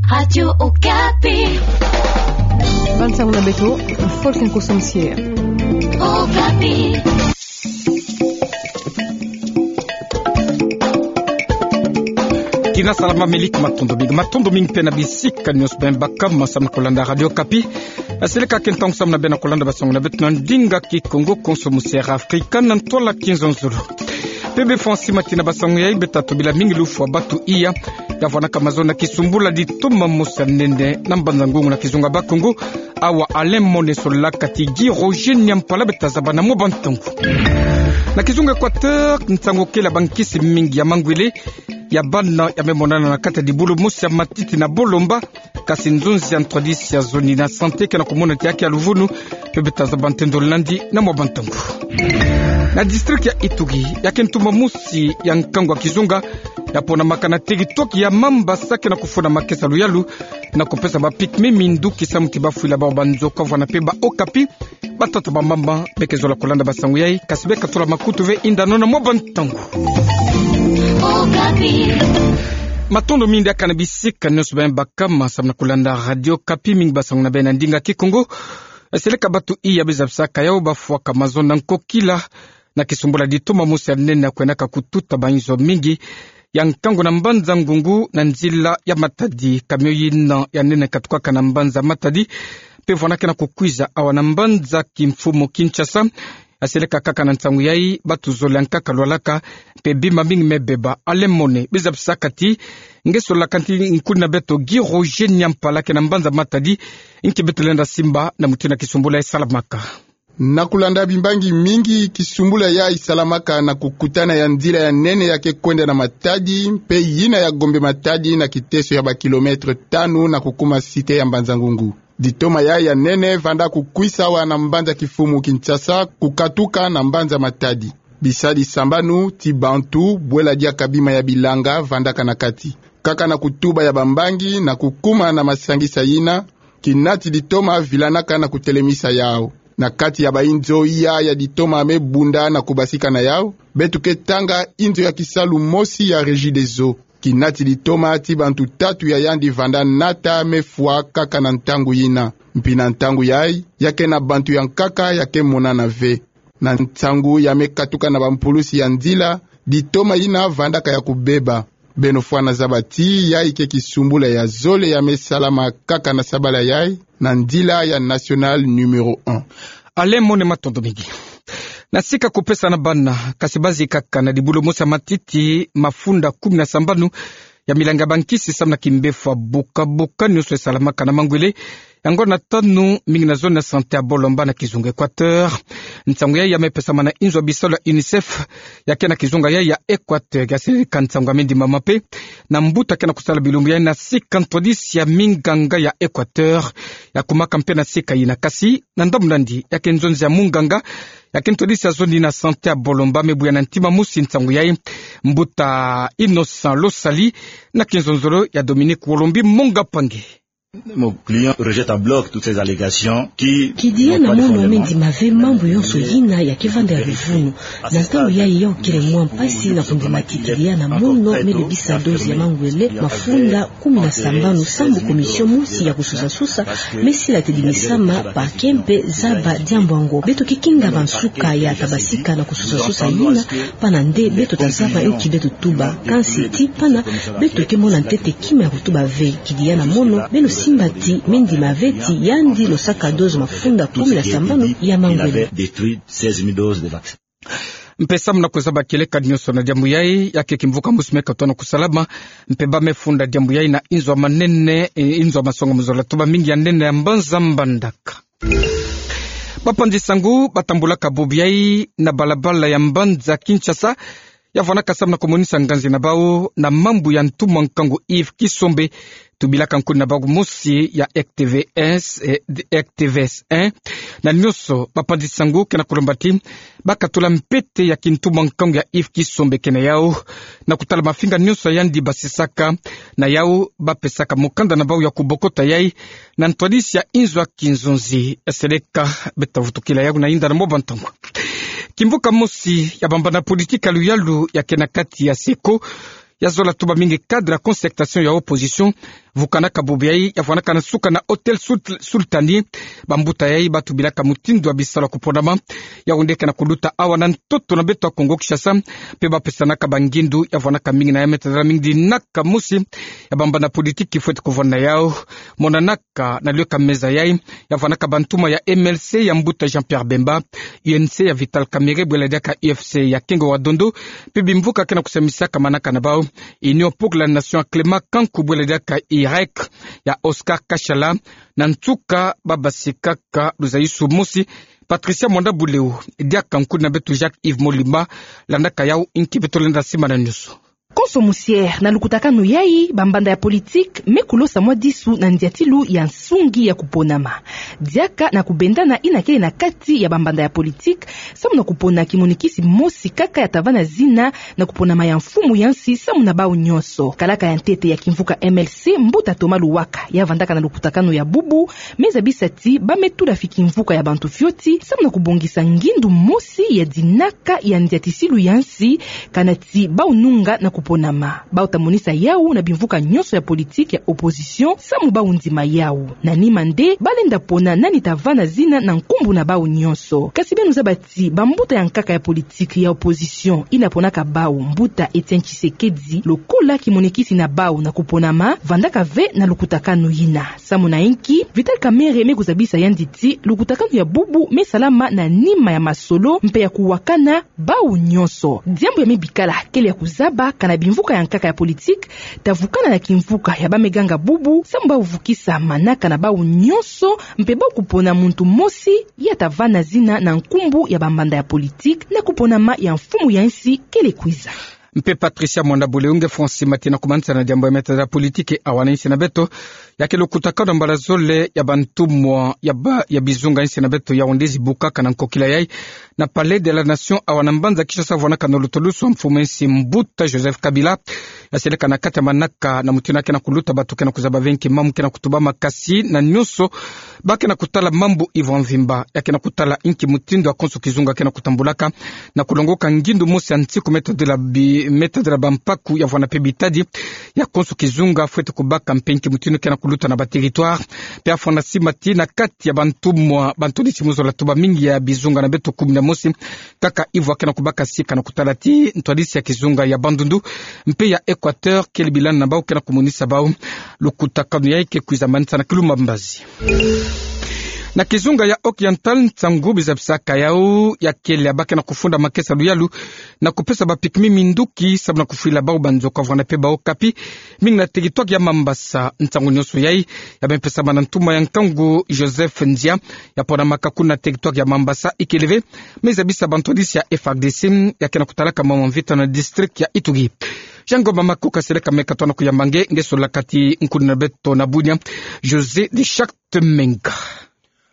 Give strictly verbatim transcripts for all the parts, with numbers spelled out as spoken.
Radio Okapi. Bansango na beto, folk en kosomsier. Okapi. Kina salama, melik, matondo mingi. Matondo mingi mpe na bisika nyonso bima baka ma samu na kolanda Radio Okapi. Aseleka ke ntangu samu na beno kolanda basango na beto na ndinga Kikongo, konso musier Afrika na ntwala Kinzonzolo. Mpe befwa nsi ma tina basango yai, beta tobila mingi lufwa batu iya ya vwanaka mazono na kisumbula ditoma mosi ya nene na Mbanza-Ngungu na kizunga Bakongo. Awa Alain Mone solaka ti Guy Roger Nyampala, beta zaba na mwa bantangu. Na kizunga Equateur, nsangu kele bankisi mingi ya mangwele ya bana ya me monana na kati ya dibulu mosi ya matiti na Bolomba. Kasi nzonzi ya ntwadisi ya zoni na santé ke na kumona ti ya ke ya luvunu, mpe beta zaba ntendolo nandi na mwa bantangu. Na district ya Ituri, ya ke ntuma mosi ya nkangu ya kizunga ya ponamaka na territoire ya Mambasa ke na kufuna makesa luyalu na kupesa ba pygmées minduki samu ti bafwila bawu banzoka. Vwanda mpe ba Okapi, batata, bamama, beke zola kolanda basango yai, kasi beka tula makutu ve, yinda nona mwa bantangu. Okapi. Matondo mingi diaka na bisika nyonso bima baka ma samu na kolanda Radio Okapi, mingi basango na beno na ndinga Kikongo. Aseleka batu iya bizabisaka yawu bafwaka mazono na nkokila na kisumbula ditoma mosi ya nene ya kwendaka kututa bainzo mingi ya nkangu na Mbanza-Ngungu na nzila ya Matadi. Camion yina ya nene katukaka na mbanza Matadi mpe vwanda ke na kukwiza awa na mbanza kimfumu Kinshasa. Aseleka kaka na nsangu yai, batu zole ya nkaka lwalaka, mpe bima mingi me beba. Alain Mone, bizabisaka ti nge solaka nti nkuni na beto Guy Roger Nyampala ke na mbanza Matadi, nki beto lenda simba na mutindu ya kisumbula yai salamaka. Na kulanda bimbangi mingi, kisumbula yai salamaka na kukutana ya nzila ya nene ya ke kwenda na Matadi mpe yina ya Gombe-Matadi na kiteso ya ba kilomètre tanu na kukuma cité ya Mbanza-Ngungu. Ditoma yai ya nene vwanda kukwisa awa na mbanza kimfumu Kinshasa, kukatuka na mbanza Matadi. Bisadi sambanu ti bantu, bwela diaka bima ya bilanga, vwandaka na kati. Kaka na kutuba ya bambangi na kukuma na masangisa yina, kinati ditoma vilanaka na kutelemisa yawu. Na kati ya bainzo iya ya ditoma me bunda na kubasika na yawu, beto ke tanga inzo ya kisalu mosi ya Regideso. Kinati ditoma ti bantu tatu ya yandi vwanda nata me fwa kaka na ntangu yina. Mpi na ntangu yai, ya ke na bantu ya nkaka ya ke monana ve. Na nsangu ya me katuka na bampulusi ya nzila, ditoma yina vwandaka ya kubeba. Beno fwana zaba ti yai ke kisumbula ya zole ya me salama kaka na sabala yai, na nzila ya nationale numéro un. Alain Mone, matondo mingi. Na sika kupesa na bana, kasi bazikaka na dibulu mosi ya matiti mafunda kumi na sambanu ya milanga bankisi samu na kimbefwa buka-buka nyonso esalamaka na mangwele ya ngonda tanu, mingi na zone ya santé ya Bolomba na kizunga Equateur. Nsangu yai ya me pesama na inzo ya bisalu ya UNICEF ya ke na kizunga yai ya Equateur. Ya seleka nsangu ya me ndimama mpe na mbuta ke na kusala bilumbu yai na sika ntwadisi ya minganga ya Equateur ya kumaka mpe na sika yina, kasi na ndambu nandi ya ke nzonzi ya munganga ya ke ntwadisi ya zone na santé ya Bolomba me buya na ntima mosi nsangu yai. Mbuta Innocent Losali na kinzonzolo ya Dominique Wolombi Monga Pangi. Mon client rejette à bloc toutes ces allégations qui n'ont pas de fondement. Kidia na mono me ndima ve mambu yonso yina ya ke vanda ya luvunu. Na ntangu yai ya okele mwa mpasi na kundima ti kidia na mono me bebisa dose ya mangwele mafunda kumi na sambanu sambu commission mosi ya kusosa-sosa me sila tedimisama, parquet mpe zaba diambu yango. Beto ke kinga bansuka ya tabasika na kusosa-sosa yina, pana nde beto tazaba nki beto tuba. Kansi ti pana, beto ke mona ntete kima ya kutuba ve. Kidia na mono, beno simba ti me ndima ve ti yandi losaka dose mafunda kumi na sambanu ya mangwele. Mpe samu na kuzaba kieleka nyonso na diambu yai, ya ke kimvuka mosi me katona kusalama, mpe ba me funda diambu yai na inzo ya manene, e, inzo ya masonga mu zola tuba mingi ya nene ya mbanza Mbandaka. Bapanzi sangu batambulaka bubu yai na balabala ya mbanza Kinshasa, ya vwanaka samu na kumonisa nganzi na bawu na mambu ya ntumwa nkangu Yves Kisombe, tubilaka nkuni na bawu mosi ya R T V S, eh, R T V S un. Na nyonso, bapanzi sangu ke na kulomba ti bakatula mpete ya kintumwa nkangu ya Yves Kisombe ke na yawu, na kutala mafinga nyonso ya yandi basisaka, na yawu bapesaka mukanda na bawu ya kubokota yai na ntwadisi ya inzo ya kinzonzi. Seleka beta vutukila yawu na yinda na mwa bantangu. Kimvuka mosi ya bambana politique ya luyalu ya ke na kati ya seko, ya zola tuba mingi cadre ya concertation ya opposition, vukanaka bubu yai ya vwanaka na nsuka na Hôtel Sul-, Sultani. Bambuta yai batubilaka mutindu ya bisalu ya kuponama ya onde ke na kuluta awa na ntoto na beto ya Kongo Kinshasa, mpe bapesanaka bangindu ya vwanaka mingi na ya metadala mingi dinaka mosi ya bambanda politiki fwete kuvwanda yau. Monanaka na liyo ka meza yai ya vwanaka bantumwa ya M L C ya mbuta Jean-Pierre Bemba, U N C ya Vital Kamerhe, bwela diaka U F C ya Kengo wa Dondo, mpe bimvuka ke na kusamisaka manaka na bau, Union pour la Nation ya Clément Kanku, bwela diaka U R E C ya Oscar Kashala. Na nsuka, babasikaka luzayusu mosi. Patricia Mwanda Buleu, diaka nkudi na beto Jacques Yves Molimba, landaka yau, inki beto lenda simana nyonso. Konso musiere na lukutakanu yai, bambanda ya politiki me kulosa mwa disu na ndiatilu ya nsungi ya kuponama. Diaka na kubendana ina kele na kati ya bambanda ya politiki, samu na kupona kimonikisi mosi kaka ya tavana zina na kuponama ya mfumu ya nsi samu na bau nyonso. Kalaka ya ntete ya kimvuka M L C, mbuta Thomas Luwaka, ya vandaka na lukutakanu ya bubu, me zabisa ti ba me tula fi kimvuka ya bantu fioti samu na kubongisa ngindu mosi ya dinaka ya ndiatisilu ya nsi, kana ti bau nunga na kuponama. Bau ta monisa yau na bimvuka nyonso ya politiki ya opposition samu bau ndima yau. Na nima nde, ba lenda pona nani tavana zina na nkumbu na bau nyonso. Kasi beno zaba ti bambuta ya nkaka ya politiki ya opposition ina ponaka bau, mbuta Etienne Tshisekedi, lokola kimonikisi na bau na kuponama, vandaka ve na lukutakanu yina. Samu na inki? Vital Kamerhe me kuzabisa yandi ti lukutakanu ya bubu me salama na nima ya masolo mpe ya kuwakana bau nyonso. Diambu ya me bikala kele ya kuzaba kana bimvuka ya nkaka ya politiki ta vukana na kimvuka ya ba me ganga bubu samu bau vukisa manaka na bau nyonso, mpe bau kupona muntu mosi ya tavana zina na nkumbu ya bambanda ya politiki na kuponama ya mfumu ya nsi kele kwiza. Mpe Patricia Mwanda Buleu, nge fwa nsi mati na kumanisa na diambu ya metadala politiki awa na insi na beto, ya ke lukutakanu mbala zole ya bantumwa ya ba, ya bizunga insi na beto ya onde zibukaka na nkokila yai. Na Palais de la Nation awa na mbanza Kinshasa, vwanaka na lutolusu wa mfumu ya nsi mbuta Joseph Kabila, ya seleka na kati ya manaka na mutindu ke na kuluta bato ke na kuzaba ve inki mamu ke na kutubama, kasi na nyonso ba ke na kutala mambu ivwa mvimba, ya ke na kutala inki mutindu ya konso kizunga ke na kutambulaka, na kulongoka ngindu mosi ya nsiku me tadila bi-, me tadila bampaku ya vwana mpe bitadi ya konso kizunga fwete kubaka mpe inki mutindu ke na kuluta na ba territoire. Mpe ya fwa na nsi mati na kati ya bantumwa, bantwadisi me zola tuba mingi ya bizunga na beto kumi na mosi, kaka ivwa ke na kubaka sika na kutala ti ntwadisi ya kizunga ya Bandundu mpe ya Equateur kele bilani na bau ke na kumonisa bau lukutakanu yai ke kwiza manisa na kilumbu mbazi. Na kizunga ya Occidental, nsangu biza bisaka yau ya kele ya ba ke na kufunda makesa luyalu na kupesa bapikimi minduki samu na kufwila bau banzoka vwana mpe bau kapi, mingi na territoire ya Mambasa. Nsangu nyonso yai ya me pesama na ntumwa ya nkangu Joseph Nzia, ya ponamaka kuna territoire ya Mambasa. Ikele ve, me zabisa bantwadisi ya F R D C ya ke na kutalaka mambu ya mvita na district ya Ituri. Jean Ngoma Makoka seleka me katono kuyamba nge, nge solaka ti nkudi na beto na Bunia, José de Charte Menga.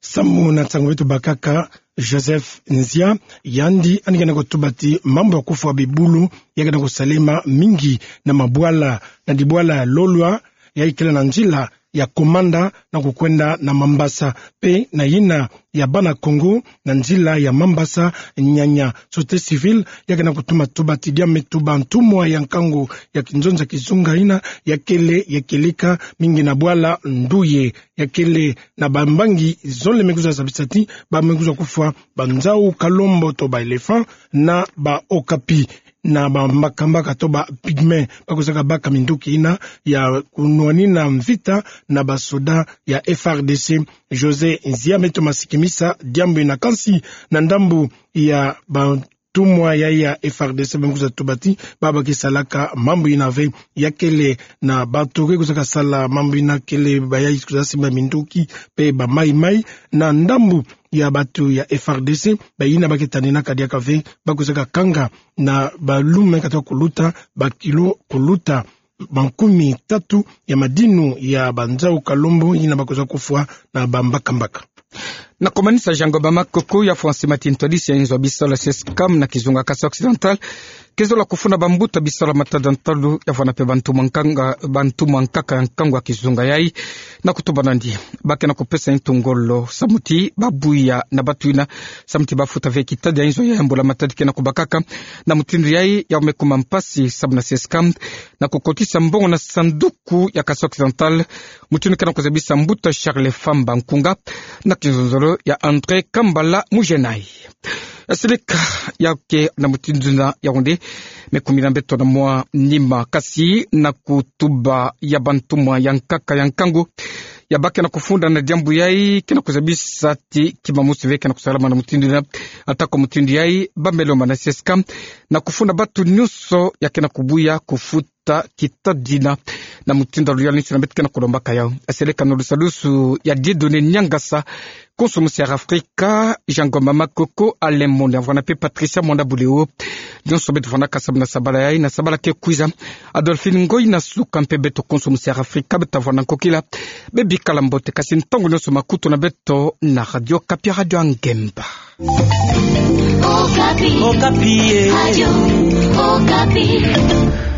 Samu na nsangu beto bakaka, Joseph Nzia, yandi yandi ke na kutuba ti mambu ya kufwa bibulu ya ke na kusalema mingi na mabwala, na dibwala ya Lolwa, ya ikele na nzila ya Komanda na kukwenda na Mambasa, mpe na yina ya Bana Kongo na nzila ya Mambasa Nyanya. Société civile ya ke na kutuma tuba ti diame tuba ntumwa ya nkangu ya kinzonza kizunga yina ya kele ya kieleka mingi na bwala Nduye, ya kele na bambangi zole me kwiza zabisa ti ba me kwiza kufwa banzau kalombo to ba éléphant na ba okapi na bambakambaka to ba pygmée, ba kwizaka baka minduki yina ya kunwanina mvita na basoda ya F R D C. José Nzia me toma sikimisa diambu yina, kansi na ndambu ya ba ntumwa ya, ya F R D C, ba me kwiza tuba ti ba ba ke salaka mambu yina ve, ya kele na bato ke kwizaka sala mambu yina kele ba ya kwiza simba minduki mpe ba maimai. Na ndambu ya bato ya F R D C, ba yina ba ke taninaka diaka ve, ba kwizaka kanga na balume kata kuluta ba kilo kuluta makumia tatu ya madinu ya banzau kalombo yina ba kwiza kufwa na bambakambaka. Na komanisa, Jean Ngoma Makoka ya fwa nsi mati ntwadisi ya inzo ya bisalu ya Cescam na kizunga Kasai Occidental Ke zola kufunda bambuta biso ya matadi ya ntalu, ya vana pe bantu mwankanga, bantu mwankaka ya nkangu ya kizunga yai, na kutuba nandi. Ba kena kupesa ntu ngolo, samuti, babuya, na batu ina, samuti bafuta ve kitadi ya inzo ya mbula matadi kena kubakaka, na mutindu yai, ya ome kuma mpasi, samu na CSCAM, na kukotisa mbongo na sanduku ya Kasai Occidental, mutindu kena kuzabisa mbuta Charles Famba Nkunga, na kinzonzolo ya André Kambala Mujenai. Seleka ya ke na mutindu na ya wonde, me kumi na mbeto na mwa nima kasi na kutuba ya bantu mwankaka ya nkangu. Ya ba kena kufunda na diambu yai, kena kuzabisa ti kima musi ve kena kusalama na mutindu na, ata kwa mutindu yai, ba melo mana CSCAM, na kufunda batu nyonso ya kena kubuya kufuta ta kitadi na, na mutindu luyalu nsi na beto kena kulombaka yau. Seleka na lusalusu ya Dieudonné Niangasa, konso musi Air Africa, Jean Ngoma Makoko, Alain Mone, ya vana pe Patricia Mwanda Buleo. Nyonso beto vana kasa na sabala yai, na sabala ke kwiza. Adolphine Ngoy na suka mpe beto konso musi Air Africa, beto vana nkokila. Bebikala mbote kasi ntangu nyonso makutu na beto na Radio Okapi, Radio ya Ngemba. Okapi. Okapi, eh. Radio Okapi.